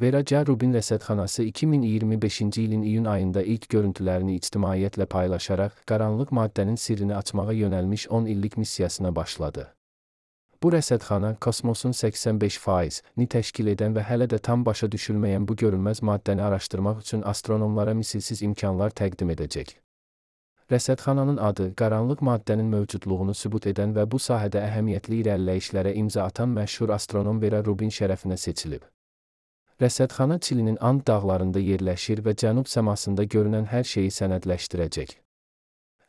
Vera C. Rubin rəsədxanası 2025-ci ilin iyun ayında ilk görüntülərini ictimaiyyətlə paylaşaraq, qaranlıq maddənin sirrini açmağa yönəlmiş 10 illik missiyasına başladı. Bu rəsədxana, kosmosun 85%-ni təşkil edən və hələ də tam başa düşülməyən bu görünməz maddəni araşdırmaq üçün astronomlara misilsiz imkanlar təqdim edəcək. Rəsədxananın adı, qaranlıq maddənin mövcudluğunu sübut edən və bu sahədə əhəmiyyətli irəliləyişlərə imza atan məşhur astronom Vera Rubin şərəfinə seçilib. Rəsədxana Çilinin And dağlarında yerləşir və cənub səmasında görünən hər şeyi sənədləşdirəcək.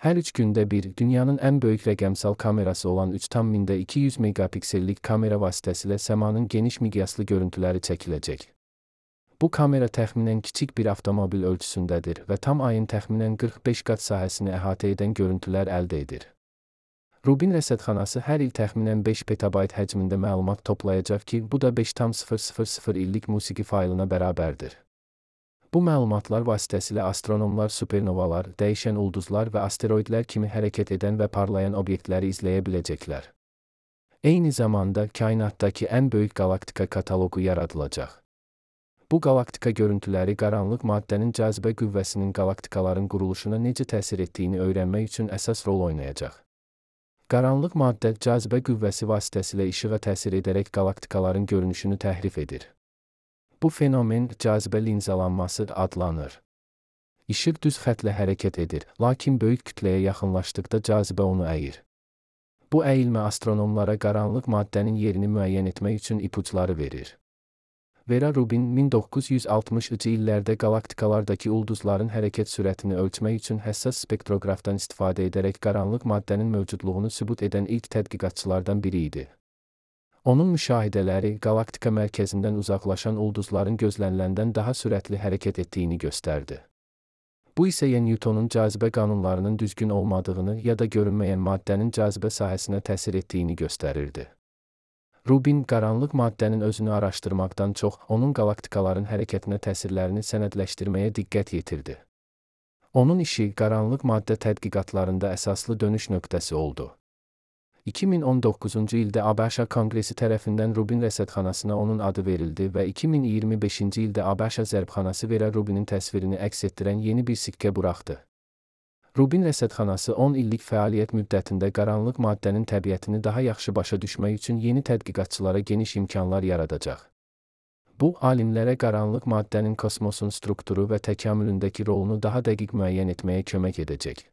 Hər 3 gündə bir, dünyanın ən böyük rəqəmsal kamerası olan 3,200 megapiksellik kamera vasitəsilə səmanın geniş miqyaslı görüntüləri çəkiləcək. Bu kamera təxminən kiçik bir avtomobil ölçüsündədir və tam ayın təxminən 45 qat sahəsini əhatə edən görüntülər əldə edir. Rubin rəsədxanası hər il təxminən 5 petabayt həcmində məlumat toplayacaq ki, bu da 5,000 illik musiqi faylına bərabərdir. Bu məlumatlar vasitəsilə astronomlar supernovalar, dəyişən ulduzlar və asteroidlər kimi hərəkət edən və parlayan obyektləri izləyə biləcəklər. Eyni zamanda, kainatdakı ən böyük qalaktika kataloqu yaradılacaq. Bu qalaktika görüntüləri qaranlıq maddənin cazibə qüvvəsinin qalaktikaların quruluşuna necə təsir etdiyini öyrənmək üçün əsas rol oynayacaq. Qaranlıq maddə cazibə qüvvəsi vasitəsilə işığa təsir edərək qalaktikaların görünüşünü təhrif edir. Bu fenomen cazibə linzalanması adlanır. İşıq düz xəttlə hərəkət edir, lakin böyük kütləyə yaxınlaşdıqda cazibə onu əyir. Bu əyilmə astronomlara qaranlıq maddənin yerini müəyyən etmək üçün ipuçları verir. Vera Rubin 1960-cı illərdə qalaktikalardakı ulduzların hərəkət sürətini ölçmək üçün həssas spektroqrafdan istifadə edərək qaranlıq maddənin mövcudluğunu sübut edən ilk tədqiqatçılardan biri idi. Onun müşahidələri qalaktika mərkəzindən uzaqlaşan ulduzların gözləniləndən daha sürətli hərəkət etdiyini göstərdi. Bu isə ya Newtonun cazibə qanunlarının düzgün olmadığını ya da görünməyən maddənin cazibə sahəsinə təsir etdiyini göstərirdi. Rubin, qaranlıq maddənin özünü araşdırmaqdan çox, onun qalaktikaların hərəkətinə təsirlərini sənədləşdirməyə diqqət yetirdi. Onun işi qaranlıq maddə tədqiqatlarında əsaslı dönüş nöqtəsi oldu. 2019-cu ildə ABŞ Konqresi tərəfindən Rubin rəsədxanasına onun adı verildi və 2025-ci ildə ABŞ zərbxanası Vera Rubinin təsvirini əks etdirən yeni bir sikkə buraxdı. Rubin rəsədxanası 10 illik fəaliyyət müddətində qaranlıq maddənin təbiətini daha yaxşı başa düşmək üçün yeni tədqiqatçılara geniş imkanlar yaradacaq. Bu, alimlərə qaranlıq maddənin kosmosun strukturu və təkamülündəki rolunu daha dəqiq müəyyən etməyə kömək edəcək.